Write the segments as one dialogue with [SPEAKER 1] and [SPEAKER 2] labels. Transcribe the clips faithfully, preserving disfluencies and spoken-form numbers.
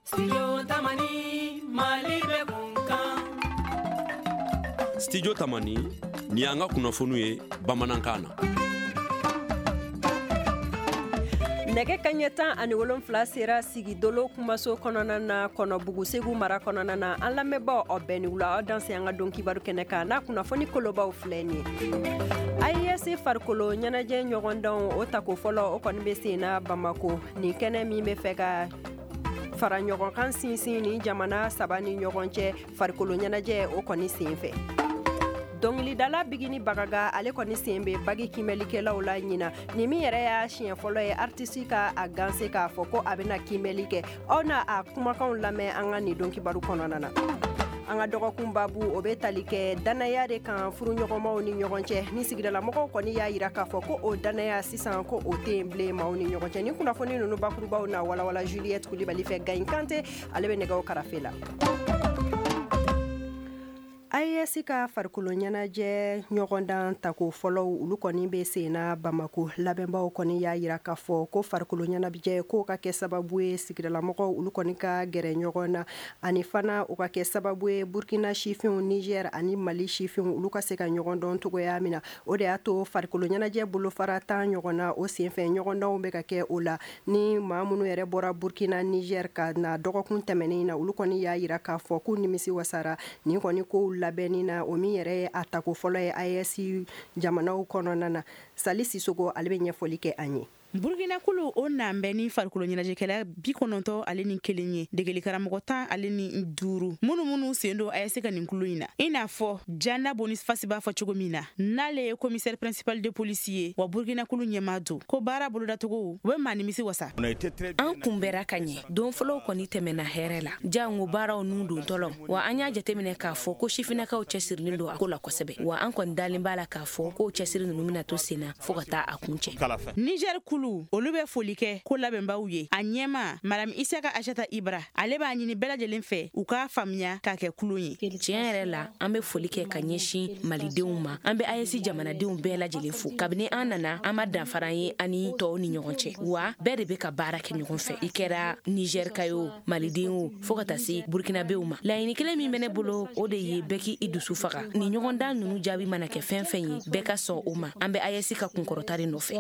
[SPEAKER 1] Studio Tamani, Mali bɛ kun kan.
[SPEAKER 2] Studio Tamani, ni y'an ka kunnafoniw ye bamanankan na.
[SPEAKER 3] Nɛgɛ kaɲɛ tan ani wolonfila sera Sigidolo kumaso kɔnɔna na Kɔnɔbugu Segu mara kɔnɔna na. An lamɛnbaaw, aw bɛɛ ni wula, aw danse an ka don kibaru kɛnɛ kan n'a kunnafoni kolobaw filɛ nin ye. A E S farikolo ɲɛnajɛ ɲɔgɔndanw, o tako fɔlɔ, o kɔni bɛ sen na Bamako. Nin kɛnɛ min bɛ fɛ ka fara ɲɔgɔn kan sinsin ni jamana saba ni ɲɔgɔn cɛ farikolo ɲɛnajɛ, o kɔni sen fɛ, dɔnkilidala Bigini Bagaga, ale kɔni sen bɛ bagi kiimɛlikɛlaw la ɲina. Nin min yɛrɛ y'a siɲɛ fɔlɔ ye artiste ka a ganse k'a fɔ ko a bɛna kiimɛli kɛ, aw na a kumakanw lamɛn an ka nin don kibaru kɔnɔna na. An ka dɔgɔkun babu, o bɛ tali kɛ danaya de kan furuɲɔgɔnmaw ni ɲɔgɔn cɛ, ni sigidalamɔgɔw kɔni y'a yira k'a fɔ ko o danaya sisan, ko o tɛ yen bilen maaw ni ɲɔgɔn cɛ. Ni kunnafoni ninnu bakurubaw na walawala Juliette Kulibali fɛ. Gayin Kante, ale bɛ nɛgɛw karafe la. A E S ka farikolo ɲɛnajɛ ɲɔgɔndan tako fɔlɔw, olu kɔni bɛ sen na Bamako. Labɛnbaw kɔni y'a yira k'a fɔ ko farikolo ɲɛnajɛ k'o ka kɛ sababu ye sigidalamɔgɔw, olu kɔni ka gɛrɛ ɲɔgɔn na, ani fana o ka kɛ sababu ye Burkina sifinw, Niger ani Mali sifinw, olu ka se ka ɲɔgɔn dɔn cogoya min na. O de y'a to farikolo ɲɛnajɛ bolofara tan ɲɔgɔn na, o senfɛ ɲɔgɔndanw bɛ ka kɛ o la. Ni maa minnu yɛrɛ bɔra Burkina, Niger ka na dɔgɔkun tɛmɛnen na, olu kɔni y'a yira k'a fɔ k'u nimisi wasara nin kɔni kow labɛnni na, o min yɛrɛ ye a tako fɔlɔ ye A E S jamanaw kɔnɔna na. Sali Sisogo, ale bɛ ɲɛfɔli kɛ an ye.
[SPEAKER 4] Burukina kulu o nan bɛ ni farikolo ɲɛnajɛkɛla bi kɔnɔntɔ ale ni kelen ye, degeli karamɔgɔ tan ale ni duuru, minnu minnu sen don A E S ka nin kulu in na. I n'a fɔ Jana Bonifasi b'a fɔ cogo min na, n'ale ye commissaire principal de police ye wa Burukina kulu ɲɛmaa don, ko baara bolodacogo u bɛ maa nimisi wasa.
[SPEAKER 5] An kunbɛra ka ɲɛ. Don fɔlɔw kɔni tɛmɛna hɛrɛ la, jango baaraw nun dontɔlɔ wa. An y'a jateminɛ k'a fɔ ko sifinnakaw cɛsirilen don a ko la kosɛbɛ wa. An kɔni dalen b'a la k'a fɔ k'o cɛsiri ninnu bɛna to sen na fɔɔ ka taa a kun cɛ.
[SPEAKER 4] Niger kulu, olu bɛ foli kɛ ko labɛnbaw ye. A ɲɛma, Madame Isaka Ashata Ibra, ale b'a ɲini bɛɛ lajɛlen fɛ u k'a faamuya k'a kɛ kulon ye.
[SPEAKER 5] Tiɲɛ yɛrɛ la, an bɛ foli kɛ ka ɲɛsin malidenw ma. An bɛ A E S jamanadenw bɛɛ lajɛlen fo. Kabini an nana, an ma danfara ye ani tɔw ni ɲɔgɔn cɛ wa. Bɛɛ de bɛ ka baara kɛ ɲɔgɔn fɛ, i kɛra Nizɛrika ye o, maliden o, fɔɔ ka taa se burukinabew ma. Laɲini kelen min bɛ ne bolo, o de ye bɛɛ k'i dusu faga. Ni ɲɔgɔndan ninnu jaabi mana kɛ fɛn fɛn ye, bɛɛ ka sɔn o ma. An bɛ A E S ka kunkɔrɔta de nɔfɛ.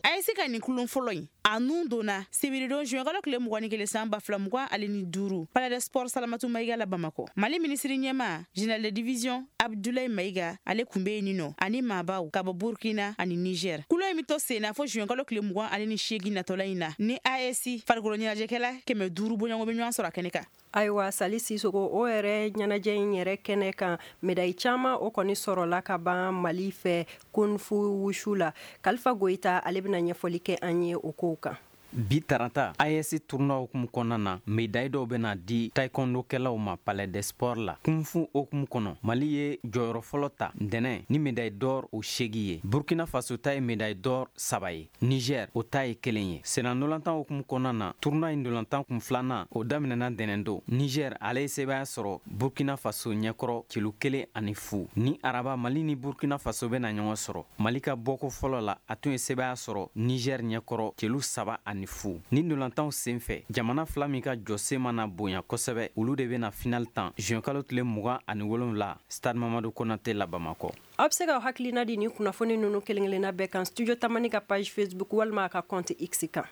[SPEAKER 4] A E S ka nin kulon fɔlɔ in, a nun donna sibiridon zuwɛnkalo tile mugan ni kelen san ba fila mugan ale ni duuru, Palais des Sports Salamatu Mayiga la Bamakɔ. Mali minisiri ɲɛma, général de division Abdulayi Mayiga, ale kun be yen nɔ ani maabaw ka bɔ Burkina ani Niger. Kulo in be to sen na fo zuwɛnkalo tile mugan ale ni seegin natɔla in na, ni A E S farikolo ɲɛnajɛkɛla kɛmɛ duuru bɔɲɔgɔn bɛ ɲɔgɔn sɔrɔ a kɛnɛ kan.
[SPEAKER 3] Ayiwa, Sali Sisogo, o yɛrɛ ɲɛnajɛ in yɛrɛ kɛnɛ kan, médaille caman o kɔni sɔrɔla ka ban Mali fɛ kung fu wushu la. Kalifa Goyita, ale bɛna ɲɛfɔli kɛ an ye o kow kan.
[SPEAKER 6] Bi tarata, A E S tournoi hukumu kɔnɔna na, médaille dɔw bena di taekwondo-kɛlaw ma Palais des Sports la. Kung fu hukumu kɔnɔ, Mali ye jɔyɔrɔ fɔlɔ ta ntɛnɛ ni médaille d'or o segi ye. Burkina Faso ta ye médaille d'or saba ye, Niger o ta ye kelen ye. Senna ndolantan hukumu kɔnɔna na, tournoi in ndolantan kun filanan o daminɛna ntɛnɛn don. Niger, ale ye sebaya sɔrɔ Burkina Faso ɲɛkɔrɔ celu kelen ani fu. Ni araba, Mali ni Burkina Faso bena ɲɔgɔn sɔrɔ. Mali ka bɔko fɔlɔ la, a tun ye sebaya sɔrɔ Niger ɲɛkɔrɔ celu saba ani fu. Ni ndolantanw sen fɛ, jamana fila min ka jɔsen mana bonya kosɛbɛ, olu de bena final tan juin kalo tile mugan ani wolonwula, Stade Mamadu Konate la Bamakɔ.
[SPEAKER 3] Aw bɛ se ka hakilina di ni kunnafoni ninnu kelen kelenna bɛɛ kan Studio Tamani ka page Facebook walima a ka compte X kan.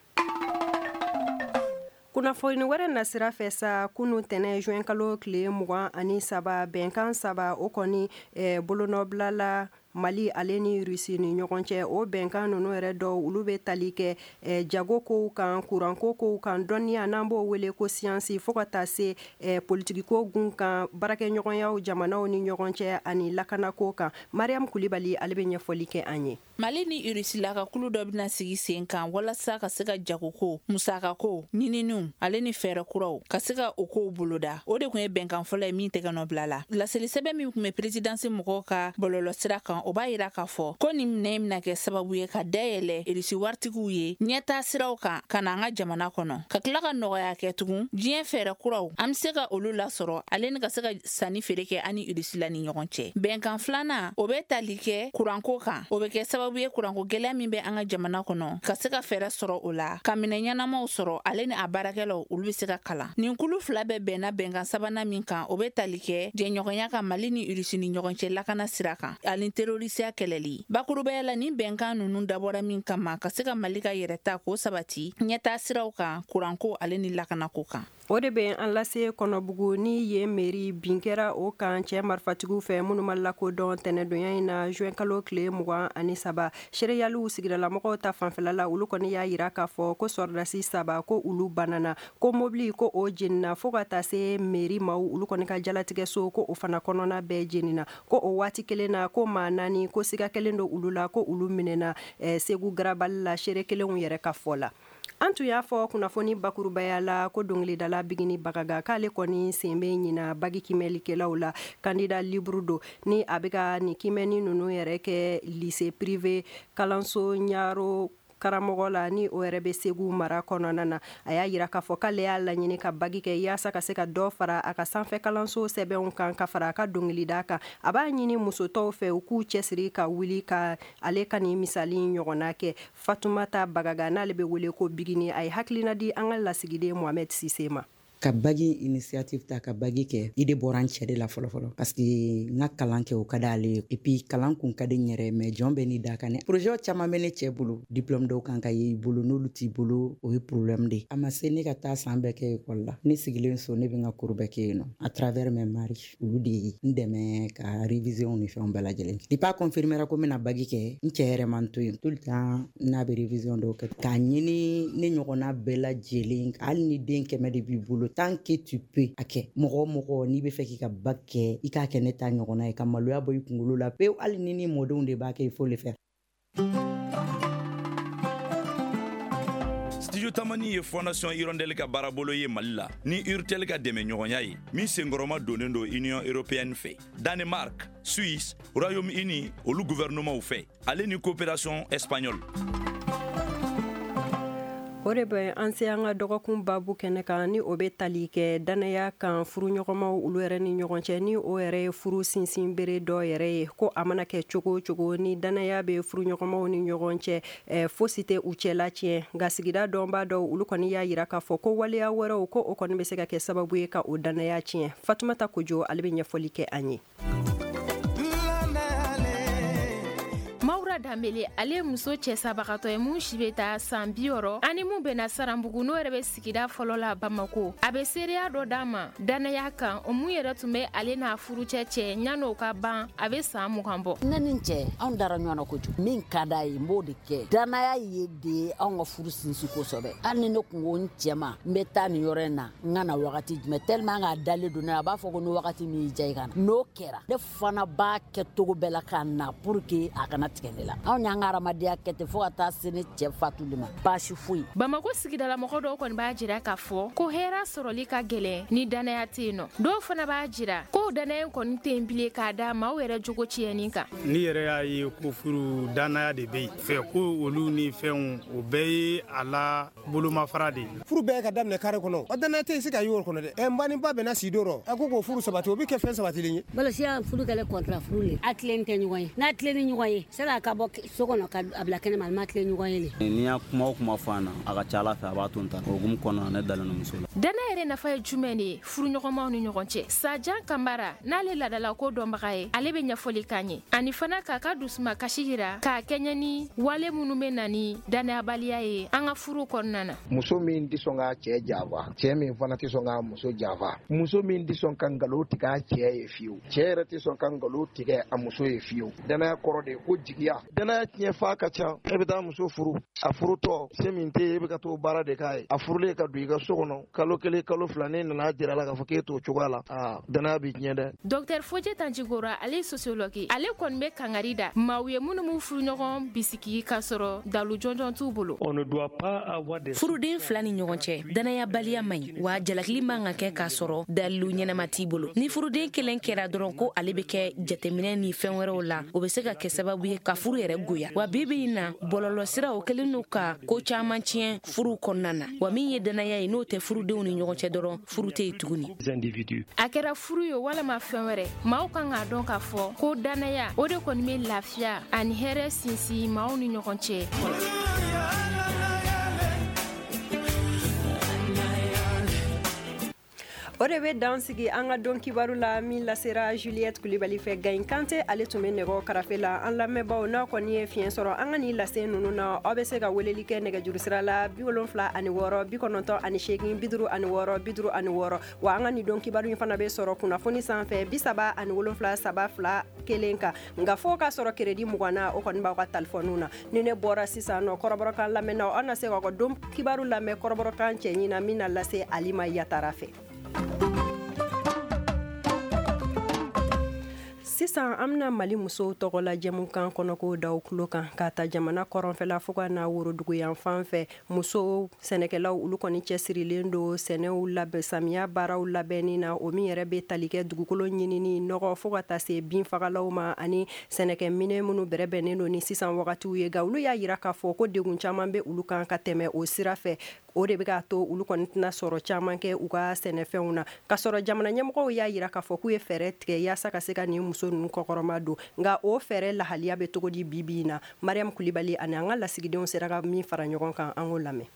[SPEAKER 3] Kunnafoni wɛrɛ nasira fɛ sa, kunu tɛnɛ juin kalo tile mugan ani saba, bɛnkan saba o kɔni eh, bolonɔbila la Mali ale ni Rusi ni ɲɔgɔn cɛ. O bɛnkan ninnu yɛrɛ dɔw, olu bɛ tali kɛ eh, jago kow kan, kuranko kow kan, dɔnniya n'an b'o wele ko siyansi, fo ka taa se eh, politikiko gun kan, baarakɛɲɔgɔnyaw jamanaw ni ɲɔgɔn cɛ ani lakanako kan. Mariam Kulibali, ale bɛ ɲɛfɔli kɛ an ye.
[SPEAKER 7] Mali ni Irisila ka kulu dɔ bɛna sigi sen kan walasa ka se ka jagoko, musakako, ɲininiw ale ni fɛɛrɛ kuraw ka se ka o kow boloda. O de tun ye bɛnkan fɔlɔ ye min tɛgɛ nɔ bila la. Laseli sɛbɛn min tun bɛ présidence mɔgɔw ka bɔlɔlɔsira kan, o b'a yira k'a fɔ ko nin minɛ bɛna kɛ sababu ye ka dayɛlɛ Irisi waritigiw ye ɲɛtaa siraw kan ka na an ka jamana kɔnɔ, ka tila ka nɔgɔya kɛ tugun diɲɛ fɛɛrɛ kuraw an bɛ se ka olu lasɔrɔ ale ni ka se ka sanni feere kɛ an ni Irisi la ni ɲɔgɔn cɛ. Bɛnkan filanan, o bɛ tali kɛ kuranko kan, o bɛ kɛ sababu ye kuranko gɛlɛya min bɛ an ka jamana kɔnɔ ka se ka fɛɛrɛ sɔrɔ o la, ka minɛn ɲɛnamaw sɔrɔ ale ni a baarakɛlaw olu bɛ se ka kalan. Nin kulu fila bɛɛ bɛnna bɛnkan sabanan min kan, o bɛ tali kɛ jɛɲɔgɔnya kan Mali ni Irisi ni ɲɔgɔn cɛ lakana sira kan ani terorisiya kɛlɛli. Bakurubaya la, nin bɛnkan ninnu dabɔra min kama ka se ka Mali ka yɛrɛta k'o sabati ɲɛtaa siraw kan kuranko ale ni lakanako kan.
[SPEAKER 3] O de bɛ an lase Kɔnɔbugu ni yen mairie bin kɛra o kan cɛ marifatigiw fɛ minnu ma lakodɔn tɛnɛdonya in na juin kalo tile mugan ani saba. Seereyaliw sigidalamɔgɔw ta fanfɛla la, olu kɔni y'a yira k'a fɔ ko sɔrɔdasi saba ko olu banana, ko mobili ko o jenina fo ka taa se mairie maaw olu kɔni ka jalatigɛso ko o fana kɔnɔna bɛɛ jenina, ko o waati kelen na ko maa naani ko siga kelen don olu la ko olu minɛna eh, Segu garabali la, seere kelenw yɛrɛ ka fɔ la. An tun y'a fɔ kunnafoni bakurubaya la ko dɔnkilidala Bigini Bagaga k'ale kɔni sen bɛ ɲina bagi kimɛlikɛlaw la, candidat libre don ni a bɛ ka nin kimɛni ninnu yɛrɛ kɛ lycée privé kalanso ɲaro karamɔgɔ la ni o yɛrɛ bɛ Segu mara kɔnɔna na. A y'a yira k'a fɔ k'ale y'a laɲini ka bagi kɛ yaasa ka se ka dɔ fara a ka sanfɛ kalanso sɛbɛnw kan ka fara a ka dɔnkilida kan. A b'a ɲini muso tɔw fɛ u k'u cɛsiri ka wuli ka ale ka nin misali ɲɔgɔnna kɛ. Fatumata Bagaga n'ale bɛ wele ko Bigini, a ye hakilina di an ka lasigiden Mohamed Sise ma.
[SPEAKER 8] Ka bagi initiative ta ka bagi kɛ, i de bɔra n cɛ de la fɔlɔ fɔlɔ parce que n ka kalan kɛ o ka d'ale ye, et puis kalan kun ka di n yɛrɛ, mais jɔn bɛ ni da kan ne. Projet caman bɛ ne cɛ bolo, diplôme dɔw kan ka ye i bolo, n'olu t'i bolo o ye problème de ye. A ma se ne ka taa san bɛɛ kɛ école la, ne sigilen so ne bɛ n ka cours bɛɛ kɛ yen nɔ à travers mes maris, olu de ye n dɛmɛ ka révision ni fɛnw bɛɛ lajɛlen. Depuis a confirmera ko n bɛna bagi kɛ, n cɛ yɛrɛ man to yen tout le temps n'a bɛ révision dɔw kɛ k'a ɲini ne ɲɔgɔnna bɛɛ lajɛlen, hali ni den kɛmɛ de b'i bolo, tant que tu peux a kɛ. Mɔgɔ o mɔgɔ n'i bɛ fɛ k'i ka bac kɛ, i k'a kɛ ne ta ɲɔgɔnna ye, ka maloya bɔ i kunkolo la pewu, hali ni ni mɔdenw de b'a kɛ, il faut le faire.
[SPEAKER 9] Studio Tamani ye Fondation Hirondelle ka baarabolo ye Mali la ni Urtel ka dɛmɛɲɔgɔnya ye min senkɔrɔma donnen don Union européenne fɛ, Danemark, Suisse, Royaume-Uni olu gouvernement fɛ, ale ni coopération espagnole.
[SPEAKER 3] O de bɛ an se an ka dɔgɔkun babu kɛnɛ kan ni o bɛ tali kɛ danaya kan furuɲɔgɔnmaw olu yɛrɛ ni ɲɔgɔn cɛ, ni o yɛrɛ ye furu sinsin bere dɔ yɛrɛ ye, ko a mana kɛ cogo o cogo ni danaya bɛ furuɲɔgɔnmaw ni ɲɔgɔn cɛ, eh, fosi tɛ u cɛla tiɲɛ. Nka sigida dɔnbaa dɔw olu kɔni y'a yira k'a fɔ ko waleya wɛrɛw ko o kɔni bɛ se ka kɛ sababu ye ka o danaya tiɲɛ. Fatumata Kojo ale bɛ ɲɛfɔli kɛ an ye.
[SPEAKER 10] Mawura Danbele ale muso cɛ sabagatɔ ye mun si bɛ taa san bi wɔɔrɔ ani mun bɛnna Saranbugu n'o yɛrɛ bɛ sigida fɔlɔ la Bamako. A bɛ seereya dɔ d'a ma danaya kan, o mun yɛrɛ tun bɛ ale n'a furucɛ cɛ yan'o ka ban a bɛ san mugan bɔ.
[SPEAKER 11] Ne ni n cɛ anw dara ɲɔgɔn na kojugu, min ka d'a ye n b'o de kɛ. Danaya ye de anw ka furu sinsin kosɛbɛ. Hali ni ne kun ko n cɛ ma n bɛ taa nin yɔrɔ in na n ka na wagati jumɛn, tellement k'a dalen don ne la, a b'a fɔ ko ni wagati min y'i diya i ka na. N'o kɛra ne fana b'a kɛ cogo bɛɛ la ka na pour que a kana tigɛ ne la. Anw y'an ka hadamadenya kɛ ten fo ka taa se ne cɛ fatuli ma, baasi foyi.
[SPEAKER 10] Bamako sigidalamɔgɔ dɔw kɔni b'a jira k'a fɔ ko hɛrɛ sɔrɔli ka gɛlɛn ni danaya tɛ yen nɔ. Dɔw fana b'a jira ko danaya kɔni tɛ yen bilen k'a da maaw yɛrɛ jogo tiɲɛni kan.
[SPEAKER 12] N'i yɛrɛ y'a ye ko furu danaya de bɛ yen fɛ, ko olu ni fɛnw o bɛɛ ye a la bolomafara de ye.
[SPEAKER 13] Furu bɛɛ ka daminɛ kare kɔnɔ, o danaya tɛ yen se ka y'o kɔnɔ dɛ. Ɛ n ba ni ba bɛnna si don rɔ, a ko k'o furu sabati, o bɛ kɛ fɛn sabatilen ye.
[SPEAKER 14] Balosiya furu kɛlen kɔntara furu le, a tilen tɛ ɲɔgɔn ye, n'a tilen ni ɲɔgɔn ye sani a ka bɔ so kɔnɔ ka a bila kɛnɛma, a ma tilen ɲɔgɔn ye le.
[SPEAKER 15] N'i y'a kuma o kuma fɔ a na, a ka ca Ala fɛ a b'a to n ta o hukumu kɔnɔna na, ne dalen don muso la.
[SPEAKER 10] Danaya yɛrɛ nafa ye jumɛn de ye furuɲɔgɔnmaw ni ɲɔgɔn cɛ? Sajan Kamara n'ale laadalako dɔnbaga ye, ale bɛ ɲɛfɔli k'an ye ani fana k'a ka dusuma kasi jira k'a kɛɲɛ ni wale minnu bɛ na ni danayabaliya ye an ka furu kɔnɔna na.
[SPEAKER 16] Muso min tɛ sɔn k'a cɛ janfa, cɛ min fana tɛ sɔn k'a muso janfa, muso min tɛ sɔn ka nkalon tigɛ a cɛ ye fiyewu, cɛ yɛrɛ tɛ sɔn ka nkalon tigɛ a muso ye fiyewu. Danaya kɔrɔ de ye ko jigiya Danaya tiɲɛ fa ka ca. E bɛ taa muso furu, a furutɔ se min tɛ e bɛ ka t'o baara de k'a ye. A furulen ka don i ka so kɔnɔ kalo kelen kalo fila, ne nana jira la k'a fɔ k'e t'o cogoya la, aa danaya b'i tiɲɛ dɛ.
[SPEAKER 10] Docteur Fodje Tandjigora, ale ye sociologue, ale kɔni bɛ kangari da maaw ye minnu m'u furuɲɔgɔn bisigi k'a sɔrɔ dalu jɔnjɔn t'u bolo.
[SPEAKER 5] Furuden fila ni ɲɔgɔn cɛ, danayabaliya man ɲi, wa jalakili man ka kɛ k'a sɔrɔ dalilu ɲɛnama t'i bolo. Ni furuden kelen kɛra dɔrɔn ko ale bɛ kɛ jateminɛ ni fɛn wɛrɛw la, o bɛ se ka kɛ sababu ye ka furu yɛrɛ goya. Wa bi bi in na, bɔlɔlɔsiraw kɛlen don ka ko caman tiɲɛ furu kɔnɔna na. Wa min ye danaya ye, n'o tɛ furudenw ni ɲɔgɔn cɛ dɔrɔn, furu tɛ yen tuguni.
[SPEAKER 10] A kɛra furu ye walama fɛn wɛrɛ, maaw kan k'a dɔn k'a fɔ ko danaya o de kɔni bɛ lafiya ani hɛrɛ sinsin maaw ni ɲɔgɔn cɛ.
[SPEAKER 3] O de bɛ dan sigi an ka don kibaru la min lasera Juliette Kulibali fɛ. Gayin Kante ale tun bɛ nɛgɛ karafe la. An lamɛnbaaw, n'a kɔni ye fiɲɛ sɔrɔ an ka nin lase ninnu na, aw bɛ se ka weleli kɛ nɛgɛjuru sira la bi wolonfila ani wɔɔrɔ bi kɔnɔntɔn ani seegin bi duuru ani wɔɔrɔ bi duuru ani wɔɔrɔ. Wa an ka nin don kibaru in fana bɛ sɔrɔ kunnafoni sanfɛ bi saba ani wolonfila saba fila kelen kan. Nka fo k'a sɔrɔ crédit mugan na, o kɔni b'aw ka talifɔniw na. Ni ne bɔra sisan nɔ kɔrɔbɔrɔkan lamɛnnaw, aw na se k'aw ka don kibaru lamɛn kɔrɔbɔrɔkan cɛɲi na min na lase Alima Yatara fɛ. Sisan an bɛna Mali musow tɔgɔ la jɛmukan kɔnɔko daw tulo kan, k'a ta jamana kɔrɔnfɛla fo ka na woroduguyan fan fɛ. Musow sɛnɛkɛlaw olu kɔni cɛsirilen don sɛnɛw labɛn, samiya baaraw labɛnni na, o min yɛrɛ bɛ tali kɛ dugukolo ɲinini, nɔgɔ fo ka taa se binfagalaw ma ani sɛnɛkɛminɛ minnu bɛrɛbɛnnen don ni sisan wagatiw ye. Nka olu y'a jira k'a fɔ ko degun caman bɛ olu kan ka tɛmɛ o sira fɛ. O de bɛ k'a to olu kɔni tɛna sɔrɔ caman kɛ u ka sɛnɛfɛnw na. K'a sɔrɔ jamana ɲɛmɔgɔw y'a jira k'a fɔ k'u ye fɛɛrɛ tigɛ yaasa ka se ka nin muso ninnu kɔkɔrɔma don. Nka o fɛɛrɛ lahaliya bɛ cogo di bi bi in na? Mariam Kulibali ani an ka lasigidenw sera ka min fara ɲɔgɔn kan, an k'o lamɛn.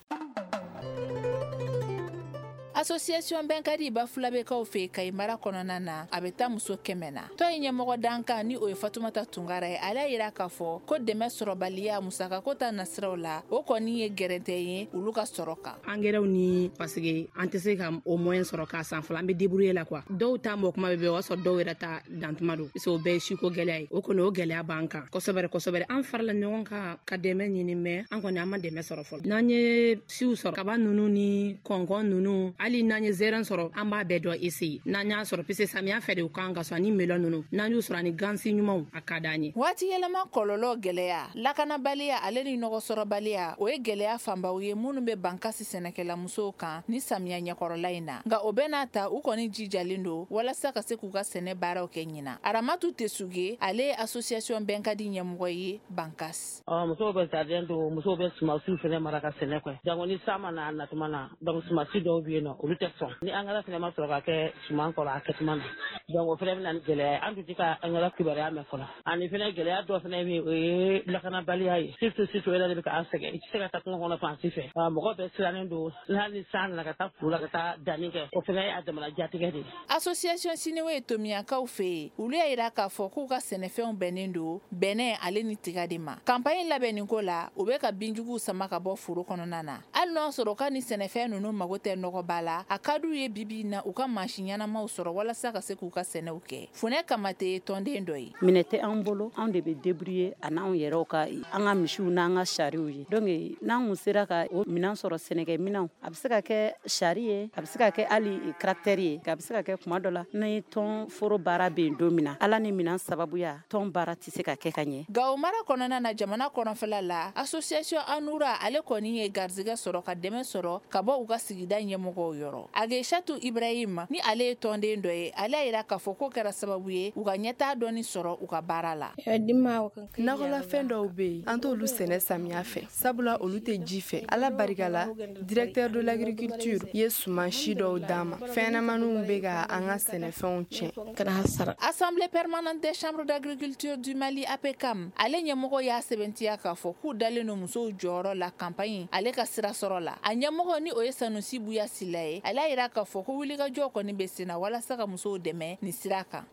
[SPEAKER 7] Association Bɛnkadi Bafulabɛkaw fɛ Kayi mara kɔnɔna na, a bɛ taa muso kɛmɛ na. Tɔn in ɲɛmɔgɔ dankan ni o ye Fatumata Tunkara ye, ale y'a jira k'a fɔ ko dɛmɛ sɔrɔbaliya musakako ta nasiraw la, o kɔni ye gɛrɛntɛ ye olu ka sɔrɔ kan.
[SPEAKER 17] Angɛrɛw ni parce que an tɛ se ka o moyen sɔrɔ k'a san fɔlɔ, an bɛ débrouiller la quoi. Dɔw ta mɔ kuma bɛ bɛn, o y'a sɔrɔ dɔw yɛrɛ ta dantuma don, parce que o bɛɛ ye siko gɛlɛya ye. O kɔni o gɛlɛya b'an kan kosɛbɛ kosɛbɛ. An farala ɲɔgɔn kan ka dɛmɛ ɲini, mais an kɔni an ma dɛmɛ sɔrɔ fɔlɔ. N'an ye siw sɔrɔ, kaba ninnu ni kɔnkɔn ninnu, hali n'an ye zɛrɛn sɔrɔ, an b'a bɛɛ dɔ essayer. N'an y'a sɔrɔ, puisque samiya fɛ de u kan ka sɔn, ani melon ninnu, n'an y'u sɔrɔ ani gansi ɲumanw, a ka d'an ye.
[SPEAKER 7] Waati yɛlɛma kɔlɔlɔ gɛlɛya, lakanabaliya ale ni nɔgɔ sɔrɔbaliya, o ye gɛlɛya fanbaw ye minnu bɛ bankasi sɛnɛkɛla musow kan ni samiya ɲɛkɔrɔla in na. Nka o bɛɛ n'a ta, u kɔni jijalen don walasa ka se k'u ka sɛnɛ baaraw kɛ ɲinan. Aramatu Tesuge, ale ye association Bɛnkadi ɲɛmɔgɔ ye Bankasi.
[SPEAKER 18] Ɔ musow bɛ jardin don, musow bɛ sumansiw fɛnɛ mara ka sɛnɛ kɛ. Jango ni san ma na a natuma na, donc sumansi dɔw bɛ yen nɔ, olu tɛ sɔn. Ni angɛrɛ fɛnɛ ma sɔrɔ ka kɛ suman kɔrɔ a kɛtuma na, donc o fɛnɛ bɛ na ni gɛlɛya ye. An tun tɛ ka angɛrɛ kibaruya mɛn fɔlɔ. Ani fɛnɛ gɛlɛya dɔ fɛnɛ bɛ yen, o ye lakanabaliya ye. Surtout surtout o yɛrɛ de bɛ k'an sɛgɛn. I tɛ se ka taa kungo kɔnɔ fan si fɛ. Mɔgɔ bɛɛ sirannen don. Hali ni san nana ka taa foro la ka taa danni kɛ, o fɛnɛ ye a damana jatigɛ de ye.
[SPEAKER 7] Association Siniwe Tomiyakaw fɛ yen, olu y'a jira k'a fɔ k'u ka sɛnɛfɛnw bɛnnen don bɛnɛ ale ni tiga de ma. Campagne labɛnni ko la, u bɛ ka binjuguw sama ka bɔ foro kɔnɔna na. Hali n'o sɔrɔ ka ni sɛnɛfɛn ninnu mago tɛ nɔgɔba la, a ka d'u ye bibi in na u ka mansin ɲɛnamaw sɔrɔ walasa ka se k'u ka sɛnɛw kɛ. Funɛ Kamate ye tɔnden dɔ ye.
[SPEAKER 19] Minɛ tɛ an bolo, anw de bɛ débrouiller a n'anw yɛrɛw ka an ka misiw n'an ka sariw ye. Donc n'an kun sera ka o minɛn sɔrɔ, sɛnɛkɛ minɛnw, a bɛ se ka kɛ sari ye, a bɛ se ka kɛ hali tracteur ye, a bɛ se ka kɛ kuma dɔ la ni tɔn foro baara bɛ yen don min na, Ala ni minɛn sababuya tɔn baara tɛ se ka kɛ ka ɲɛ.
[SPEAKER 7] Gawo mara kɔnɔna na, jamana kɔnɔfɛla la, association Anura ale kɔni ye garizigɛ sɔrɔ ka dɛmɛ sɔrɔ ka bɔ u ka sigida ɲɛmɔgɔw yɔrɔ. Ageshatu Ibrahim ni ale ye tɔnden dɔ ye, ale y'a jira k'a fɔ ko kɛra sababu ye u ka ɲɛtaa dɔɔni sɔrɔ u ka baara la.
[SPEAKER 20] Nakɔlafɛn dɔw bɛ yen, an t'olu sɛnɛ samiya fɛ, sabula olu tɛ ji fɛ. Ala barika la, directeur de l'agriculture ye suman si dɔw d'an ma. Fɛnɲɛnamaninw bɛ ka an ka sɛnɛfɛnw tiɲɛ.
[SPEAKER 7] Assemblée permanente des chambres d'agriculture du Mali A P C A M, ale ɲɛmɔgɔ y'a sɛbɛntiya k'a fɔ k'u dalen don musow jɔyɔrɔ la campagne ale ka sira sɔrɔ sɔrɔ la. A ɲɛmɔgɔ ni o ye Sanusi Buya Sila ye, ale y'a yira k'a fɔ ko wulikajɔ kɔni bɛ sen na walasa ka musow dɛmɛ nin sira kan.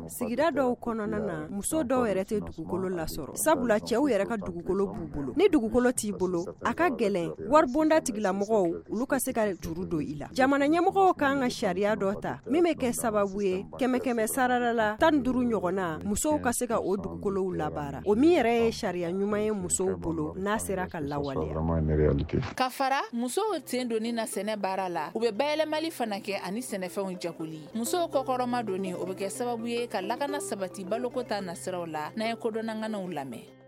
[SPEAKER 3] Sigida dɔw kɔnɔna na, muso dɔw yɛrɛ tɛ dugukolo lasɔrɔ, sabula cɛw yɛrɛ ka dugukolo b'u bolo. Ni dugukolo t'i bolo, a ka gɛlɛn waribonda tigilamɔgɔw olu ka se ka juru don i la. Jamana ɲɛmɔgɔw kan ka sariya dɔ ta min bɛ kɛ sababu ye kɛmɛ kɛmɛ sarada la tan ni duuru ɲɔgɔnna musow ka se ka o dugukolow labaara. O min yɛrɛ ye sariya ɲuman ye musow bolo n'a sera ka lawaleya.
[SPEAKER 7] Ka fara musow sen donni na sɛnɛ baara la, u bɛ bayɛlɛmali fana kɛ ani sɛnɛfɛnw jagoli. Musow kɔkɔrɔma donni, o bɛ kɛ sababu ye ka lakana sabati baloko ta nasiraw la, n'an ye kodɔnnaŋanaw lamɛn.